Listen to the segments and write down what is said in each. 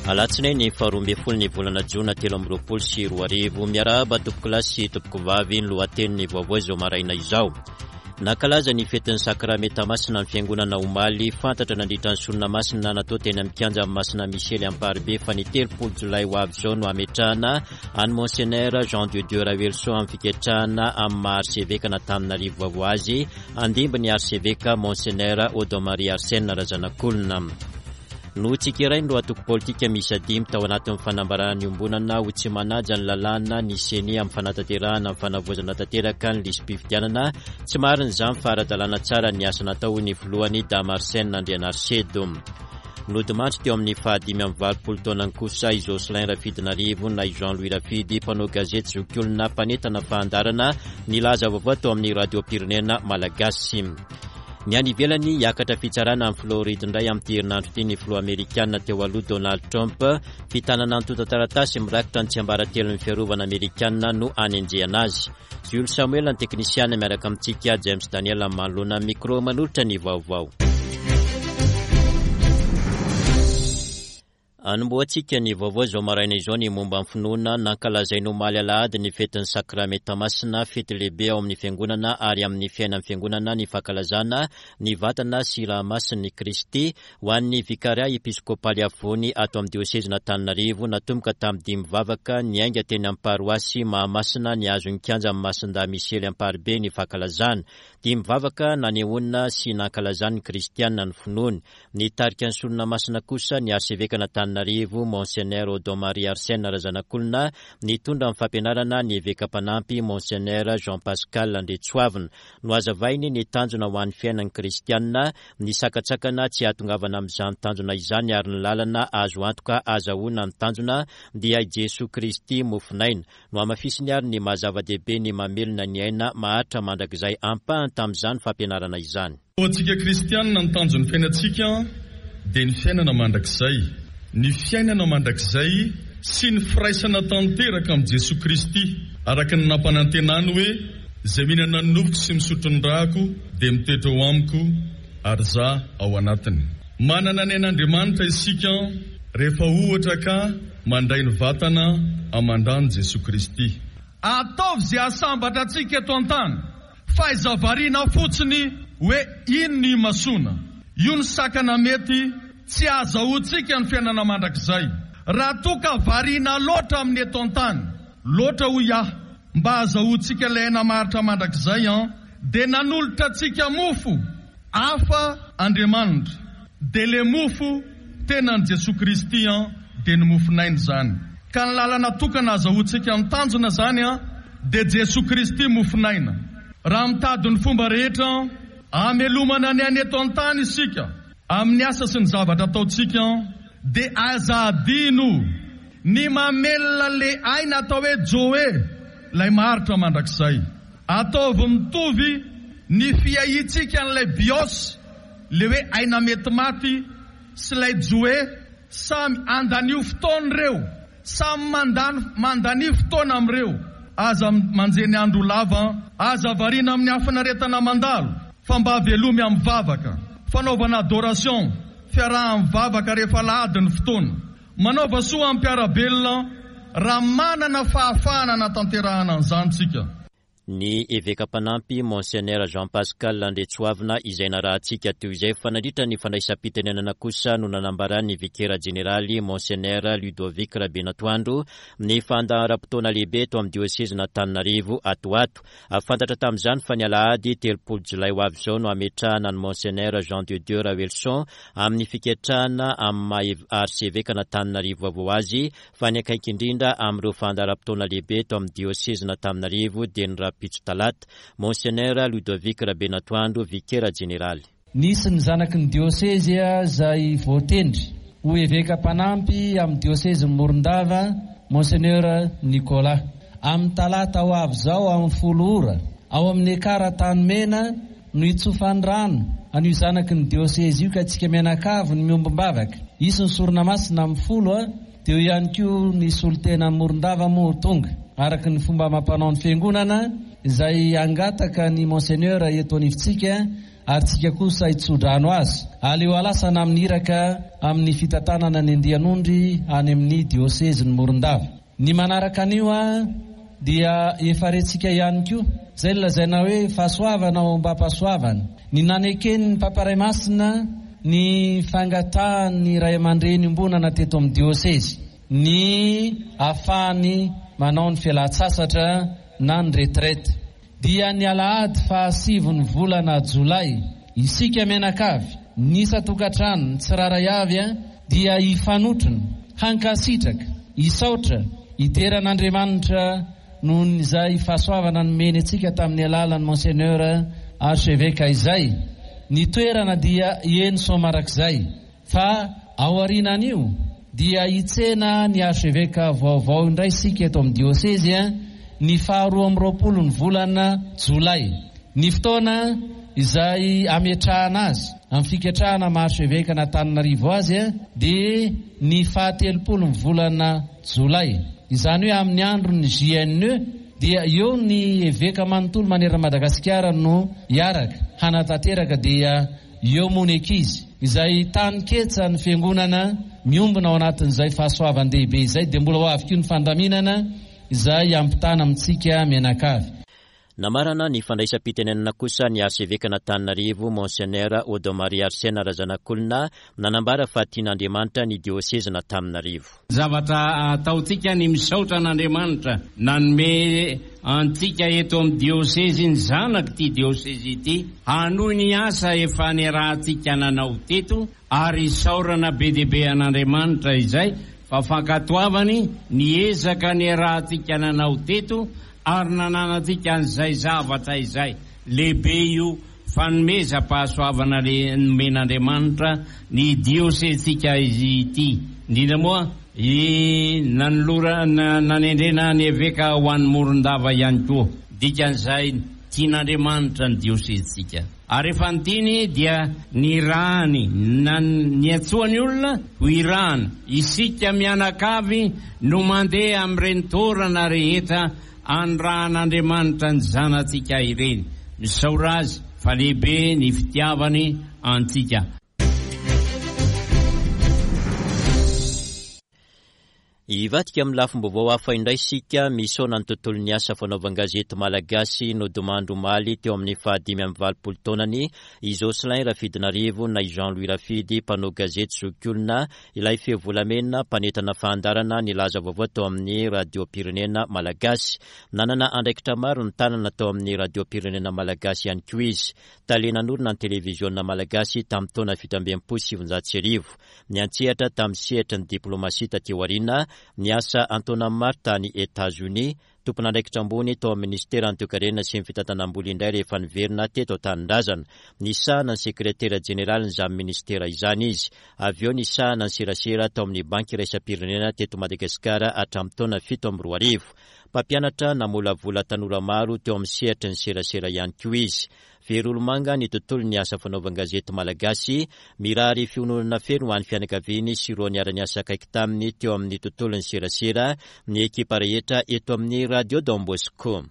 Alatsinainy faharoa ambin'ny folo ny volana jona 2023. Miarahaba tompokolahy sy tompokovavy. Ny lohatenin'ny vaovao izao maraina izao: nankalaza ny fetin'ny Sakramenta Masina ny fiangonana omaly. Fantatra nandritra ny sorona masina natao teny amin'ny kianja Masina Misely Amparibe fa ny 30 jolay ho avy izao no hametrahana an'i Monseigneur Jean de Dieu Raoelison amin'ny fiketrahana amin'ny maha arseveka an'Antananarivo vaovao azy, handimby ny arseveka Monseigneur Odon Marie Arsène Razanakolona. Notsikerain'ireo antoko politika miisa dimy tao anatin'ny fanambarana niombonana ho tsy manaja ny lalàna ny Ceni amin'ny fanatanterahana ny fanavaozana tanteraka ny lisi-pifidianana. Tsy marina izany fa ara-dalàna tsara ny asa natao, hoy ny filohany Dama Arsène Andrianarisedo. Nodimandry teo amin'ny faha-85 taonany kosa i Jocelyn Rafidinarivo na i Jean Louis Rafidy, mpanao gazety zokiolona mpanentana fahandarana nilaza vaovao tao amin'ny radiom-pirenena malagasy. Ny any ivelany, hiakatra fitsarana any Floride indray amin'ity herinandro ity ny filoha amerikana teo aloha Donald Trump. Fitanana antontan-taratasy mirakitra ny tsiambaratelon'ny fiarovana amerikana no anenjehana azy. Jules Samuel ny teknisiana miaraka amintsika, James Daniel manoloana ny micro manolotra ny vaovao. Anombohantsika ny vaovao izao maraina izao ny momba ny finoana. Nankalazaina omaly alahady ny fetin'ny Sakramenta Masina, fety lehibe ao amin'ny Fiangonana ary amin'ny fiainan'ny Fiangonana ny fankalazana ny vatana sy ra masin'i Kristy. Ho an'ny Vikaria Episkopaly Afovoany ato amin'ny Diosezin'Antananarivo, natomboka tamin'ny dimy vavaka niainga teny amin'ny Paroasy Mahamasina nihazo ny kianjan'i Masindahy Misely Amparibe ny fankalazana. Dimy vavaka nanehoana sy nankalazan'ny kristiana ny finoany. Nitarika ny sorona masina kosa ny Arsevekan'Antananarivo, Monseigneur Odon Marie Arsène Razanakolona, nitondra ny fampianarana ny Eveka mpanampy, Monseigneur Jean Pascal Andriantsoavina. Nohazavainy ny tanjona ho an'ny fiainan'ny kristiana, ny sakantsakana tsy hahatongavana amin'izany tanjona izany ary ny lalana azo antoka ahazahoana ny tanjona dia i Jesoa Kristy mofon'aina. Nohamafisiny ary ny maha zava-dehibe ny mamelona ny aina maharitra mandrakizay ampahany tamin'izany fampianarana izany. Ho antsika kristianina, ny tanjon'ny fiainantsika dia ny fiainana mandrakizay. Ny fiainana mandrakizay sy ny firaisana tanteraka amin'i Jesoa Kristy, araka ny nampanantenany hoe, Izay mihinana ny nofoko sy misotro ny rako dia mitoetra ao amiko ary Izaho ao anatiny. Manana ny ain'Andriamanitra isika rehefa ohatra ka mandray ny vatana aman-dran'i Jesoa Kristy. Ataovy izay hahasambatra antsika eto an-tany. Fa aiza variana fotsiny hoe iny no imasoana. Io ny sakana mety tsy hahazahoantsika ny fiainana mandrakizay. Raha toa ka variana loatra amin'ny eto an-tany, loatra hoy aho, mba hahazahoantsika ilay aina maharitra mandrakizay an, dia nanolotra antsika mofo hafa Andriamanitra. Dia le mofo tenan'i Jesoa Kristy an, dia ny mofon'aina izany. Ka ny lalana tokana azahoantsika ny tanjona izany an, dia Jesoa Kristy mofon'aina. Raha mitady ny fomba rehetra an, hamelomana ny aina eto an-tany isika, amin'ny asa sy ny zavatra ataontsika an, dia aza adino ny mamelona le aina atao hoe Joe, ilay maharitra mandrakizay. Ataovy mitovy ny fiahiantsika an'ilay bios, le hoe aina mety maty, sy ilay Joe, samy andanio fotoana ireo, samy mandany mandania fotoana amin'ireo, aza manjeny andro ho lava an, aza variana amin'ny hafinaretana mandalo, fa mba velomy amin'ny vavaka, fanaovana adoration, fiaraha-mivavaka rehefa alahady ny fotoana. Manaova soa amin'ny mpiara-belona raha manana fahafahana hanatanterahana an'izany tsika. Ny Eveka mpanampy, Monseigneur Jean Pascal Andriantsoavina, izay narahantsika teo izay fa nandritra ny fandraisam-pitenenana kosa no nanambaran'ny Vikera Jeneraly, Monseigneur Ludovic Rabenatoandro, ny fandaharam-potoana lehibe eto amin'ny Diosezin'Antananarivo ato ho ato. Fantatra tamin'izany fa ny alahady 30 jolay ho avy izao no hametrahana an'i Monseigneur Jean de Dieu Raoelison amin'ny fiketrahana amin'ny maha Arsevekan'Antananarivo vaovao azy fa ny akaiky indrindra amin'ireo fandaharam-potoana lehibe eto amin'ny diosezin'Antananarivo dia ny rahampitso talata. Monseigneur Ludovic Rabenatoandro, Vikera Jeneraly. Nisy ny zanaky ny diosezy izay voatendry ho eveka mpanampy amin'ny diosezin'i Morondava, Monseigneur Nicolas. Amin'ny talata ho avy izao amin'ny folo ora, ao amin'ny Ekar Antanimena no hitsofany rano an'io zanaky ny diosezy io ka isika mianakavy no miombom-bavaka. Hisy ny sorona masina amin'ny folo dia eo ihany koa ny solontenan'i Morondava moa ho tonga, araka ny fomba amam-panaon'ny Fiangonana izay hangataka ny Monseigneur eto anivontsika. ary tsika kosa hitsodrano azy. Aleo halasana amin'ny iraka amin'ny fitantanana ny andian'ondry any amin'ny diosezin'i Morondava. Ny manaraka an'io dia efa rentsika ihany koa, izay nolazaina hoe fahasoavana ao am-pahasoavana. Ny naneken'ny Papa Ray Masina ny fangatahan'ny ray aman-dreny iombonana teto amin'ny diosezy, ny ahafahany manao ny fialan-tsasatra na ny retraite. Dia ny alahady fahasivin'ny volana jolay, isika mianakavy, ny isan-tokantrano, ny tsirairay avy dia hifanotrona, hankasitraka, hisaotra, hidera an'Andriamanitra noho ny izay fahasoavana nomeny antsika tamin'ny alalan'i Monseigneur Archevêque izay. Ny toerana dia eny Soamarakizay. Fa aorianan'io dia hitsena ny Archevêque vaovao indray isika eto amin'ny diosezy ny faha 22 ny volana jolay. Ny fotoana izay hametrahana azy amin'ny fiketrahana maha Archevêque an'Antananarivo azy dia ny faha 30 ny volana jolay. Izany hoe amin'ny andron'ny JNE dia eo ny eveka manontolo manerana Madagasikara no hiaraka hanatanteraka dia Eo moa ny ankizy, izay tany ketsa ny fiangonana miombona ao anatin'izay fahasoavan-dehibe izay, dia mbola ho avy koa ny fandaminana izay hampitana amintsika mianakavy. Namarana ny fandraisam-pitenenana kosa ny Arsevekan'Antananarivo, Monseigneur Odon Marie Arsène Razanakolona, nanambara fa tian'Andriamanitra ny diosezin'Antananarivo. Zavatra ataontsika ny misaotra an'Andriamanitra nanome antsika eto amin'ny diosezy ny zanak'ity diosezy ity hanohy ny asa efa niarahantsika nanao teto ary isaorana be dia be an'Andriamanitra izay fa fankatoavany ny ezaka niarahantsika nanao teto ary nananantsika an'izay zavatra izay lehibe io Fanomezam-pahasoavana le nomen'Andriamanitra ny diosezintsika izy ity, indrindra moa i nanolorana nanendrena ny eveka ho an'i Morondava ihany koa. Dikan'izay tian'Andriamanitra ny diosezintsika. Ary rehefa nitiany dia nirahany na niantsoany olona ho irahana. Isika mianakavy no mandeha amin'ireny toerana rehetra Anirahan'Andriamanitra ny zanatsika ireny. Misaora Azy fa lehibe ny fitiavany antsika. Hivadika amin'ny lafim-baovao hafa indray isika, misaona ny tontolon'ny asa fanaovan-gazety malagasy nodimandry omaly teo amin'ny fahadimy amby valopolo taonany i Jocelyn Rafidinarivo na i Jean Louis Rafidy, mpanao gazety zokiolona Ilay feo volamena mpanentana fahandarana nilaza vaovao tao amin'ny Radiom-pirenena Malagasy. Nanana andraikitra maro ny tanana tao amin'ny Radiom-pirenena Malagasy ihany koa izy. Tale nanorina ny Televiziona Malagasy tamin'ny taona 1967. Niantsehatra tamin'ny sehatry ny diplaomasia taty aoriana, niasa an-taonany maro tany Etazonia, Tompon'andraikitra ambony tao amin'ny minisiteran'ny Toekarena sy ny fitantanam-bola indray rehefa niverina teto an-tanindrazana. Nisahana ny sekretera jeneralin'izany minisitera izany izy. Avy eo nisahana ny serasera tao amin'ny Banky iraisam-pirenena teto Madagasikara hatramin'ny taona 2007. Mpampianatra namolavola tanora maro teo amin'ny sehatry ny serasera ihany koa izy. Very olomanga ny tontolon'ny asa fanaovan-gazety malagasy, mirary fiononana feno ho an'ny fianakaviany sy ireo niara-niasa akaiky taminy teo amin'ny tontolon'ny serasera ny ekipa rehetra eto amin'ny Radio Don Bosco.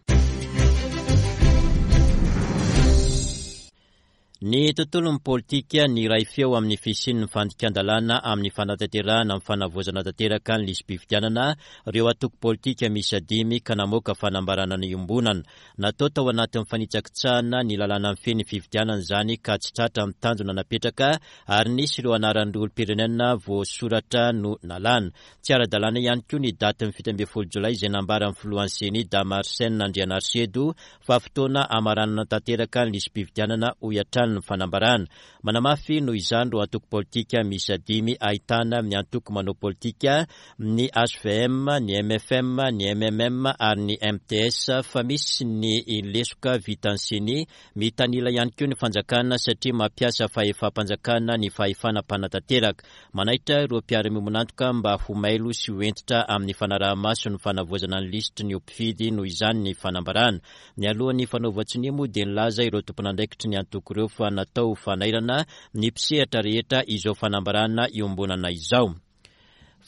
Ny tontolon'ny politika, niray feo amin'ny fisian'ny fandikan-dalàna amin'ny fanatanterahana ny fanavaozana tanteraka ny lisi-pifidianana ireo antoko politika miisa dimy ka namoaka fanambarana iombonana. Natao tao anatin'ny fanitsakitsahana ny lalàna mifehy ny fifidianana izany ka tsy tratra ny tanjona napetraka ary nisy ireo anaran'ireo olom-pirenena voasoratra no nalana. Tsy ara-dalàna ihany koa ny datin'ny 17 jolay izay nambaran'ny filohan'ny Ceni Dama Arsène Andrianarisedo fa fotoana hamaranana tanteraka ny lisi-pifidianana hoy hatrany ny fanambarana. Manamafy noho izany ireo antoko politika miisa dimy ahitana ny antoko manao politika, ny hvm, ny mfm, ny mmm ary ny mts fa misy ny lesoka vitan'ny Ceni. Mitanila ihany koa ny fanjakana satria mampiasa fahefam-panjakana ny fahefana mpanatanteraka. Manaitra ireo mpiara-miombon'antoka mba ho mailo sy ho hentitra amin'ny fanaraha-maso ny fanavaozana ny lisitry ny ho mpifidy noho izany ny fanambarana. Nialoha ny fanaovan-tsonia moa dia nilaza ireo tompon'andraikitry ny antoko ireo fa natao ho fanairana ny mpisehatra rehetra izao fanambarana iombonana izao.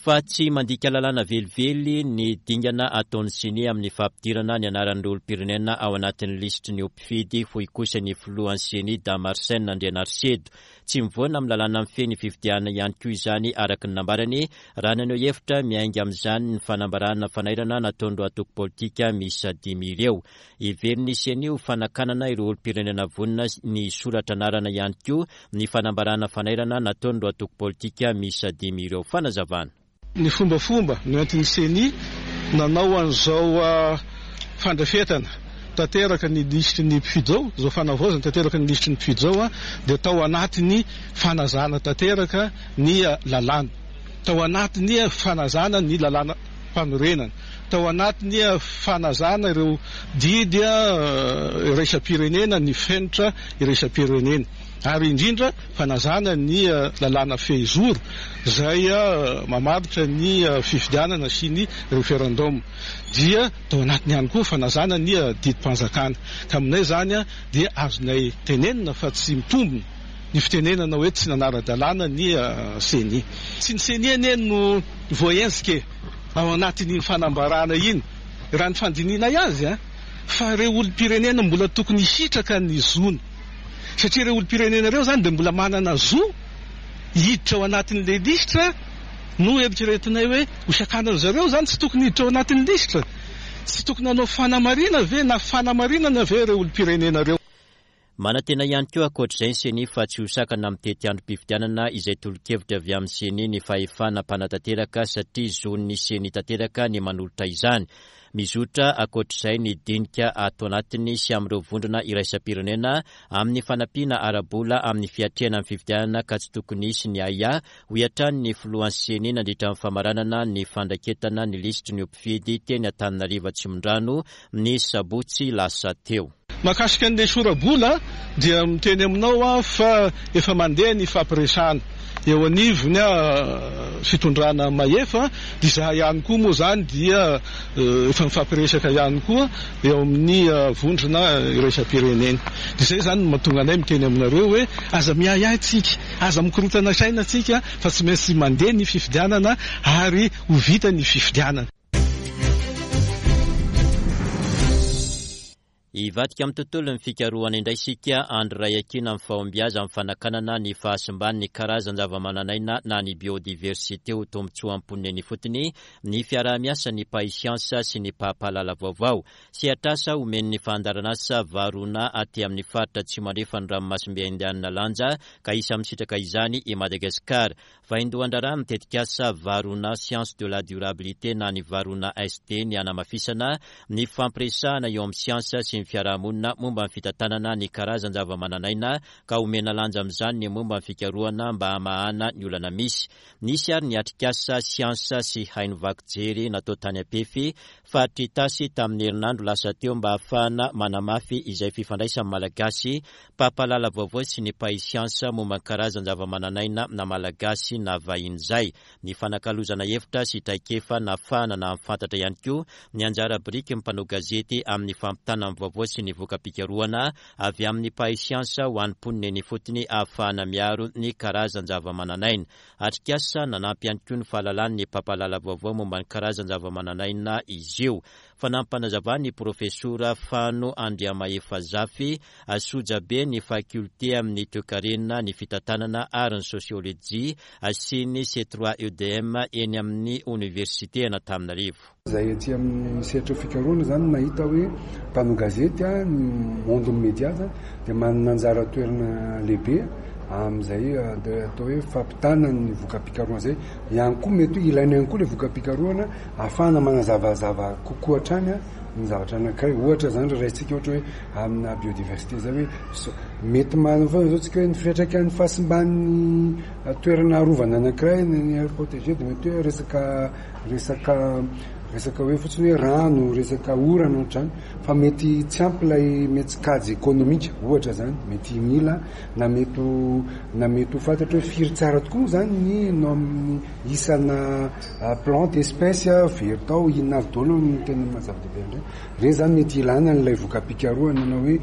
Fa tsy mandika lalàna velively ny dingana ataon'ny Ceni amin'ny fampidirana ny anaran'ireo olom-pirenena ao anatin'ny lisitry ny ho mpifidy, hoy kosa ny filohan'ny Ceni, Dama Arsène Andrianarisedo. Tsy mivoana amin'ny lalàna mifehy ny fifidianana ihany koa izany, araka ny nambarany, raha naneho hevitra miainga amin'izany ny fanambarana fanairana nataon'ireo antoko politika miisa dimy ireo. Heverin'ny Ceni ho fanakanana ireo olom-pirenena vonona ny hisoratra anarana ihany koa ny fanambarana fanairana nataon'ireo antoko politika miisa dimy ireo. Fanazavana. Ny fombafomba noentin'ny Ceni nanao an'izao fandrafetana tanteraka ny lisitry ny mpifidy izao, izao fanavaozana tanteraka ny lisitry ny mpifidy izao dia tao anatin'ny fanazana tanteraka ny lalàna, tao anatin'ny fanazana ny lalàna mpanorenana, tao anatin'ny fanazana ireo didy iraisam-pirenena, ny fenitra iraisam-pirenena ary indrindra fanazana ny lalàna fehizoro izay mamaritra ny fifidianana sy ny referendum dia tao anatiny ihany koa fanazana ny didim-panjakana ka aminay izany dia azonay tenenina fa tsy mitombina ny fitenenana hoe tsy nanara-dalàna ny ceni. Tsy ny ceni anie no voahenjika e ao anatin'iny fanambarana iny raha ny fandinihinay azy fa ireo olom-pirenena mbola tokony hisitraka ny zony satria ireo olom-pirenena ireo izany dia mbola manana zo hiditra ao anatin'ilay lisitra no eritreretinay hoe ho sakanana zareo izany tsy tokony hiditra ao anatin'ny lisitra tsy tokony hanao fanamarina ve na fanamarinana ve ireo olom-pirenena ireo. Manantena ihany koa ankoatr'izay ny Ceni fa tsy ho sakana amin'ny tetiandrom-pifidianana izay tolo-kevitra avy amin'ny Ceni ny fahefana mpanatanteraka satria zon'ny Ceni tanteraka ny manolotra izany. Mizotra ankoatr'izay ny dinika ato anatiny sy amin'ireo vondrona iraisam-pirenena amin'ny fanampiana ara-bola amin'ny fiatrehana ny fifidianana ka tsy tokony hisy ny ahiahy, hoy hatrany ny filohan'ny Ceni nandritra ny famaranana ny fandraketana ny lisitry ny ho mpifidy teny Antananarivo Atsimondrano ny sabotsy lasa teo. Mahakasika an'ilay sora-bola dia miteny aminao aho fa efa mandeha ny fampiresahana eo anivon'ny fitondrana mahefa dia izahay ihany koa moa izany dia efa mifampiresaka ihany koa eo amin'ny vondrona iraisam-pirenena. Dia izay izany no mahatonga anay miteny aminareo hoe aza miahiahy tsika, aza mikorontana saina tsika fa tsy maintsy mandeha ny fifidianana ary ho vita ny fifidianana. Hivadika amin'ny tontolon'ny fikarohana indray isika andro iray akiana amin'ny fahombiazan'ny amin'ny fanakanana ny fahasimban'ny karazan-javamananaina na ny biodiversité ho tombontsoan'ny mponina eny ifotony ny fiaraha-miasan'ny mpahay siansa sy ny mpampahalala vaovao. Sehatr'asa omen'ny fandaharanasa Varuna aty amin'ny faritra atsimo andrefan'ny ranomasimbe Indianina lanja ka isan'ny misitraka izany i Madagasikara. Vaindohan-draharaha ny tetikasa Varuna Science de la Durabilité na ny Varuna SD ny hanamafisana ny fifampiresahana eo amin'ny siansa sy ny fiarahamonina momba ny fitantanana ny karazan-javamananaina ka omena lanja amin'izany ny momba ny fikarohana mba hamahana ny olana misy. Nisy ary ny atrikasa siansa sy haino vaky jery natao tany Ampefy, faritr'i Itasy tamin'ny herinandro lasa teo mba hahafahana manamafy izay fifandraisan'ny Malagasy Mpampahalala vaovao sy ny mpahay siansa momba ny karazan-javamananaina na malagasy na vahiny izay. Ny fanakalozana hevitra sy traikefa nahafahana nahafantatra ihany koa ny anjara birikin'ny mpanao gazety amin'ny fampitana ny vaovao sy ny voka-pikarohana avy amin'ny mpahay siansa ho an'ny mponina eny ifotony ahafahana miaro ny karazan-javamananaina. Atrikasa nanampy ihany koa ny fahalalan'ny mpampahalala vaovao momba ny karazan-javamananaina izy io. Fanampanazavan'ny Profesora Fano Andriamahefazafy, sojabe ny Fakiolite amin'ny Toekarena, ny Fitantanana ary ny Sosiolojia sy ny C3EDM eny amin'ny Oniversite an'Antananarivo. Izahay aty amin'ny sehatry ny fikarohana izany mahita hoe mpanao gazety, ny monde-n'ny media izany dia manana anjara toerana lehibe amin'izay atao hoe fampitana ny voka-pikarohana izay. Ihany koa mety hoe ilaina ihany koa ilay voka-pikarohana ahafahana manazavazava kokoa hatrany ny zavatra anankiray. Ohatra izany raha raisintsika ohatra hoe amina biodiversité izay hoe mety manana foana izao tsika hoe ny fiantraikan'ny fahasimban'ny toerana arovana anankiray ny aire protégée dia mety hoe resaka resaka resaka hoe fotsiny hoe rano, resaka orana ohatr'izany fa mety tsy ampy ilay mety kajy ekonomika ohatra izany, mety mila na mety ho na mety ho fantatra hoe firy tsara tokoa moa izany ny nom isana plante, espèce very tao, inona avy daholo no tena maha zava-dehibe an'ireny. Ireny izany mety ilana an'ilay voka-pikarohana na hoe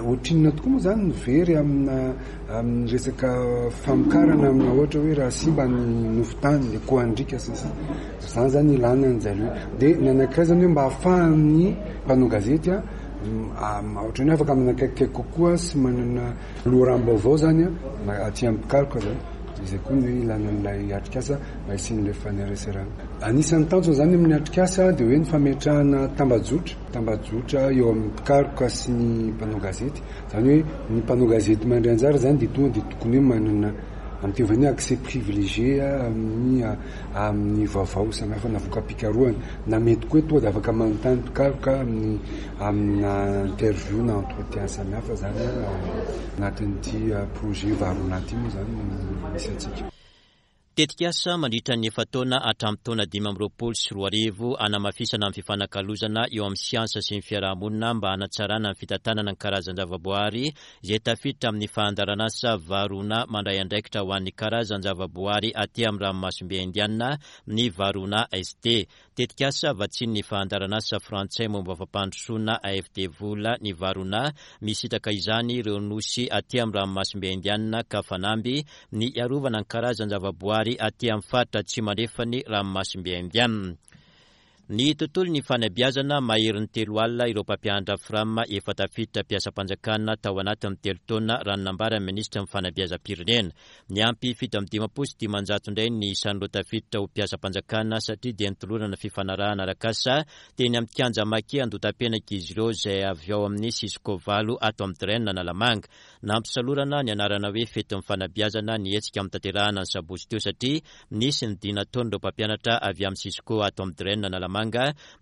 ohatrinona tokoa moa izany ny very amina amin'ny resaka famokarana amina ohatra hoe raha simba ny nofon-tany, ny akohandriaka sy ny sisa. Izany izany ilana an'izareo. Dia ny anankiray izany hoe mba ahafahan'ny mpanao gazety ohatran'ny hoe afaka manakaikikaiky kokoa sy manana loharanom-baovao izany aty amin'ny mpikaroka izany. Izay koa ny hoe ilana an'ilay atrikasa mba hisian'ilay fanereserana. Anisan'ny tanjona izany amin'ny atrikasa dia hoe ny fametrahana tambajotra, tambajotra eo amin'ny mpikaroka sy ny mpanao gazety. Izany hoe ny mpanao gazety mandray anjara izany dia tonga dia tokony hoe manana amin'ny teny vahiny hoe accès privilégié amin'ny amin'ny vaovao samihafa na voka-pikarohana na mety koa hoe tonga dia afaka manontany mpikaroka amin'ny amina interview na entretien samihafa izany anatin'ity projet Varuna ity moa izany no misy antsika. Tetikasa mandritra ny efa-taona hatramin'ny taona 2025 hanamafisana ny fifanakalozana eo amin'ny siansa sy ny fiaraha-monina mba hanatsarana ny fitantanana ny karazan-javaboahary izay tafiditra amin'ny fandaharanasa Varuna mandray andraikitra ho an'ny karazan-javaboahary aty amin'ny ranomasimbe Indiana ny Varuna ST. Tetikasa vatsian'ny fandaharanasa frantsay momba fampandrosoana AFD vola ny Varuna, misitraka izany ireo nosy aty amin'ny ranomasimbe Indiana ka fanamby ny hiarovana ny karazan-javaboary aty amin'ny faritra atsimo andrefan'ny ranomasimbe Indiana. Ny tontolon'ny fanabeazana, maherin'ny 30 ireo mpampianatra Fram efa tafiditra mpiasam-panjakana tao anatin'ny telo taona raha ny nambaran'ny minisitry ny fanabeazam-pirenena. Niampy 557 indray ny isan'ireo tafiditra ho mpiasam-panjakana satria dia nitolorana fifanarahana arak'asa teny amin'ny kianja Maki Andotapenaka izy ireo izay avy ao amin'ny Cisco valo ato amin'ny Dren Analamanga. Nampisalorana ny anarana hoe fetin'ny fanabeazana ny hetsika notanterahana ny sabotsy teo satria nisy ny dia nataon'ireo mpampianatra avy amin'ny Cisco ato amin'ny Dren Analamanga,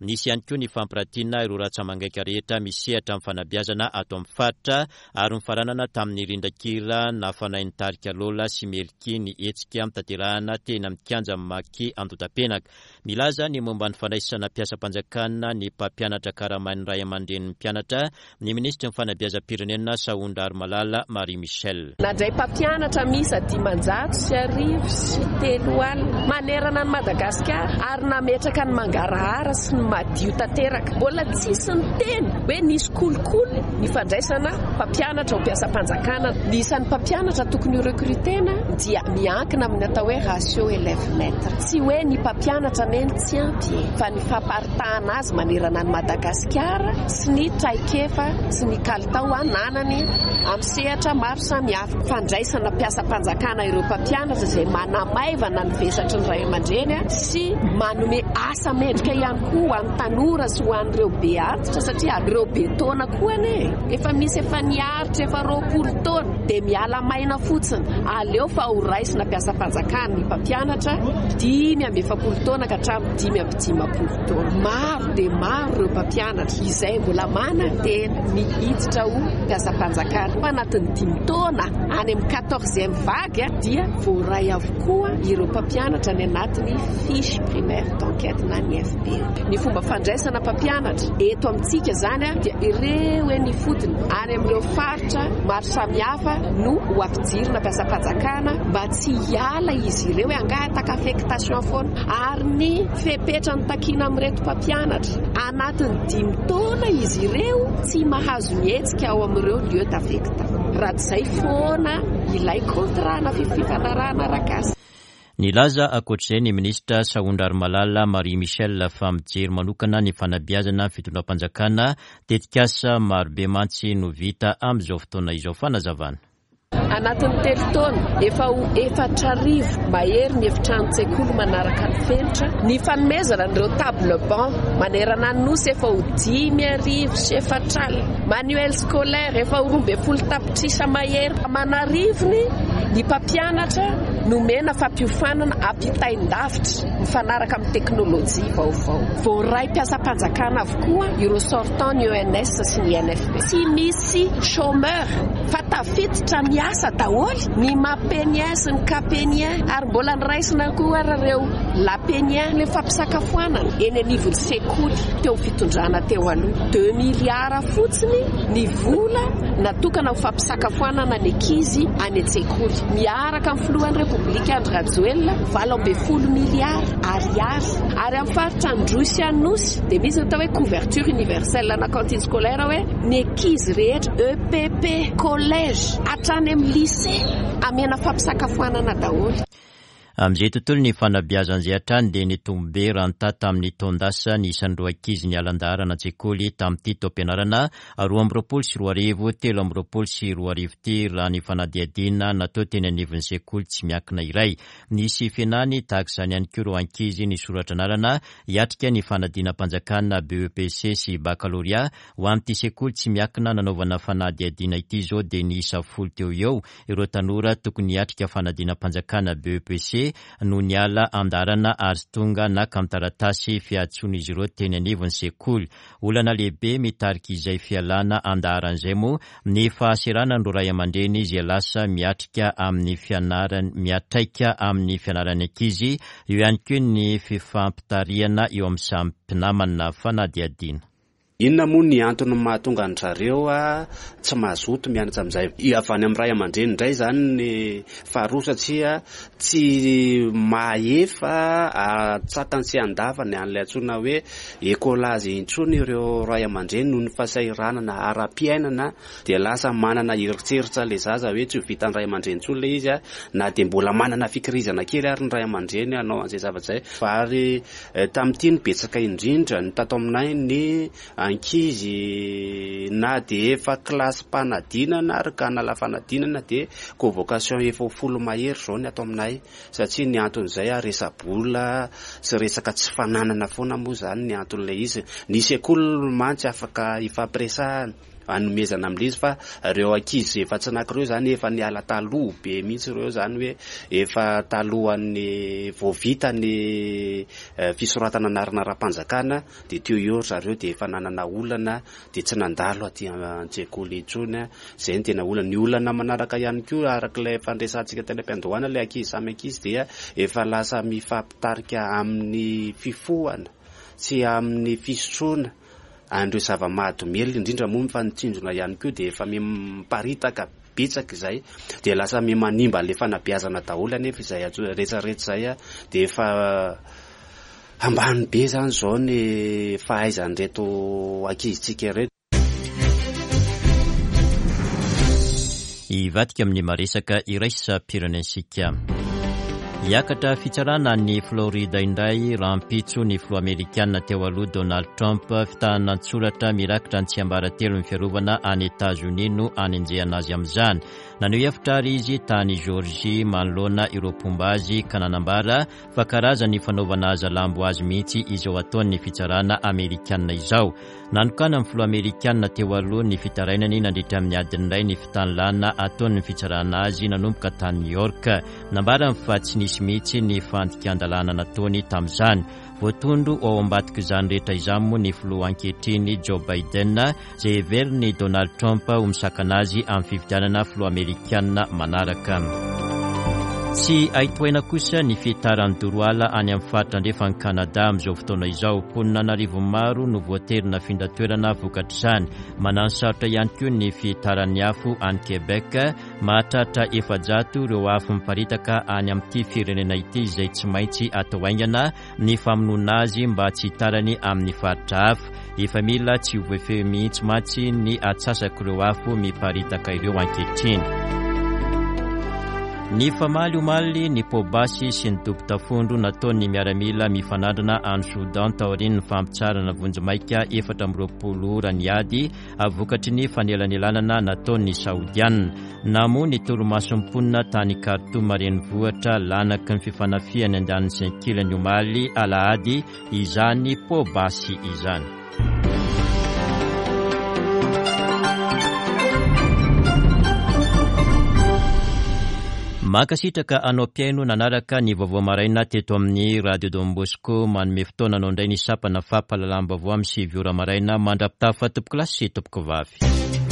nisy ihany koa ny fampiratiana ireo ratsa-mangaika rehetra misehatra amin'ny fanabeazana ato amin'ny faritra ary nofaranana tamin'ny rindran-kira nafanain'ny tarika Lola sy Melky ny hetsika notanterahana teny amin'ny kianjan'ny Maki Andotapenaka. Milaza ny momba ny fandraisana mpiasam-panjakana ny mpampianatra karamain'ny ray aman-drenin'ny mpianatra ny minisitry ny fanabeazam-pirenena Sahondrarimalala Marie Michelle. Nandray mpampianatra miisa 330 manerana an'i Madagasikara ary nametraka ny mangarahara sy ny madio tanteraka. Mbola tsisy niteny hoe nisy kolikoly ny fandraisana mpampianatra ho mpiasam-panjakana. Ny isan'ny mpampianatra tokony ho recruter-na dia miankina amin'ny atao hoe ratio élève maître. Tsy hoe ny mpampianatra anie no tsy ampy e, fa ny famparitahana azy manerana an'i Madagasikara sy ny traikefa sy ny kalitao ananany amin'ny sehatra maro samihafa. Fandraisana mpiasam-panjakana ireo mpampianatra izay manamaivana ny vesatry ny ray aman-dreny sy manome asa mendrika ihany koa ho an'ny tanora sy ho an'ireo be antitra satria ireo be taona koa anie efa misy efa niaritra efa 20 taona dia miala maina fotsiny. Aleo fa ho raisina mpiasam-panjakana ny mpampianatra 45 taona ka hatramin'ny 55 taona. Maro dia maro ireo mpampianatra izay mbola manantena ny hiditra ho mpiasam-panjakana. Fa anatin'ny dimy taona, any amin'ny quatorzième vague dia voaray avokoa ireo mpampianatra any anatin'ny fiche primaire d'enquête na ny FPE. Ny fomba fandraisana mpampianatra eto amintsika izany dia ireo eny ifotony any amin'ireo faritra maro samihafa no ho ampidirina mpiasam-panjakana mba tsy hiala izy ireo hoe hangataka affectation foana ary ny fepetra notakiana amin'ireto mpampianatra anatin'ny dimy taona izy ireo tsy mahazo mihetsika ao amin'ireo lieu d'affectation raha tsy izay foana ilay contrat na fifanarahana arak'asa. Nilaza ankoatr'izay ny minisitra Sahondrarimalala Marie Michelle fa mijery manokana ny fanabeazana ny fitondram-panjakana, tetikasa marobe mantsy no vita amin'izao fotoana izao. Fanazavana. Anatin'ny telo taona, efa ho 4000 mahery ny efitranon-tsekoly manaraka ny fenitra. Ny fanomezana an'ireo table banc manerana ny Nosy efa ho 450. Manuel scolaire efa ho 12 tapitrisa mahery. Aman'arivony ny mpampianatra nomena fampiofanana ampitain-davitra mifanaraka amin'ny teknolojia vaovao. Voaray mpiasam-panjakana avokoa ireo sortant ny ENS sy ny INFP. Tsy misy chômeur fa tafiditra miasa daholo ny Mapenien sy ny Kapenien ary mbola noraisina koa ary ireo Lapenia, ilay fampisakafoanana eny anivon'ny sekoly teo amin'ny fitondrana teo aloha. Deux milliards fotsiny ny vola natokana ho fampisakafoanana ny ankizy any an-tsekoly. Miaraka amin'ny filohan'ny Repoblika Andry Rajoelina, 18 milliards ariary. Ary amin'ny faritra Androy sy Anosy dia misy ny atao hoe couverture universelle ana cantine scolaire hoe ny ankizy rehetra EPP, collège, hatrany amin'ny lycée amena fampisakafoanana daholo. Amin'izay tontolon'ny fanabeazana izay hatrany dia nitombo be raha nitaha tamin'ny taon-dasa ny isan'ireo ankizy niala an-daharana an-tsekoly tamin'ity taom-pianarana 2022 2023 ity raha ny fanadihadiana natao teny anivon'ny sekoly tsy miankina iray. Nisy fihenany tahaka izany ihany koa ireo ankizy nisoratra anarana hiatrika ny fanadinam-panjakana BEPC sy Bakalorea Ho an'ity sekoly tsy miankina nanaovana fanadihadiana ity izao dia niisa folo teo ho eo ireo tanora tokony hiatrika fanadinam-panjakana BEPC no niala an-dalana ary tonga naka ny taratasy fiantsoan'izy ireo teny anivon'ny sekoly. Olana lehibe mitarika izay fialana an-daharana izay moa ny fahaseranan'ireo ray aman-dreny izay lasa miatrika amin'ny fianarany miatraika amin'ny fianaran'ny ankizy, eo ihany koa ny fifampitarihana eo amin'ny samy mpinamana. Fanadihadiana. Inona moa ny antony mahatonga an-dry zareo tsy mazoto mianatra amin'izay? Avy any amin'ny ray aman-dreny indray izany ny faharoa satria tsy mahefa an-tsakany sy an-davany an'ilay antsoina hoe écolage intsony ireo ray aman-dreny noho ny fahasahiranana ara-piainana dia lasa manana eritreritra ilay zaza hoe tsy ho vitan'ny ray aman-dreny intsony ilay izy na dia mbola manana fikirizana kely ary ny ray aman-dreny hanao an'izay zavatra izay. Ary Tamin'ity no betsaka indrindra ny tato aminay ny ankizy na dia efa kilasim-panadinana ary ka hanala fanadinana dia convocation efa ho folo mahery izao ny ato aminay satria ny anton'izay resa-bola sy resaka tsy fananana foana moa izany ny anton'ilay izy. Ny sekoly mantsy afaka ifampiresahana. anomezana amin'ilay izy fa ireo ankizy efa tsy naka ireo izany efa niala taloha be mihitsy ireo izany hoe efa talohan'ny vao vita ny fisoratana anarana ara-panjakana dia teo eo ry zareo dia efa nanana olana dia tsy nandalo aty an-tsekoly intsony, izay no tena olana. Ny olana manaraka ihany koa araka ilay fandresantsika tany am-piandohana ilay ankizy samy ankizy dia efa lasa mifampitarika amin'ny fifohana sy amin'ny fisotroana An'ireo zava-mahadomelina indrindra moa ny fanitsinjona ihany koa dia efa miparitaka betsaka izay dia lasa miha-manimba an'ilay fanabeazana daholo anefa izay rehetra rehetra izay dia efa ambany be izany izao ny fahaizan'ireto ankizintsika ireto. Hivadika amin'ny maresaka iraisam-pirenentsika. Hiakatra fitsarana any Florida indray rahampitso ny filoha amerikana teo aloha Donald Trump. Fitahana an-tsoratra mirakitra ny tsiambaratelon'ny fiarovana any Etazonia no anenjehana azy amin'izany. Naneho hevitra ary izy tany Georgie manoloana ireo mpomba azy ka nanambara fa karazan'ny fanaovana hazalambo azy mihitsy izao ataon'ny fitsarana amerikana izao. Nanokanan'ny filoha amerikana teo aloha ny fitarainany nandritra ny adiny iray ny fitanilana ataon'ny fitsarana azy nanomboka tany New York. Nambarany fa tsy nisy mihitsy ny fandikan-dalàna nataony tamin'izany. Voatondro ho ao ambadik'izany rehetra izany moa ny filoha ankehitriny Joe Biden izay heverin'i Donald Trump ho misakana azy amin'ny fifidianana filoha amerikana manaraka. Tsy hay tohaina kosa ny fihitaran'ny doro ala any amin'ny faritra andrefan'i Kanada amin'izao fotoana izao. Mponina an'arivony maro no voatery nafindra toerana vokatr'izany. Manano sarotra ihany koa ny fihitaran'ny afo any Québec. Mahatratra 400 ireo afo miparitaka any amin'ity firenena ity izay tsy maintsy atao haingana ny famonoana azy mba tsy hitarany amin'ny faritra hafa. Efa mila tsy ho voafehy mihitsy mantsy ny atsasak'ireo afo miparitaka ireo ankehitriny. Nifamaly omaly ny poa-basy sy ny dobo-tafondro nataon'ny miaramila mifanandrina any Soudan taorian'ny fampitsaharana vonjimaika 24 ora ny ady vokatry ny fanelanelanana nataon'ny Saodianina. Namoha ny torimason'ny mponina tany Khartoum renivohitra lanaky ny fifanafihany andaniny sy ankilany omaly alahady izany poa-basy izany. Mankasitraka anao mpihaino nanaraka ny vaovao maraina teto amin'ny Radio Don Bosco. Manome fotoana anao indray ny sampana fampahalalam-baovao amin'ny 9 ora maraina mandra-pitafa tompokolahy sy tompokovavy.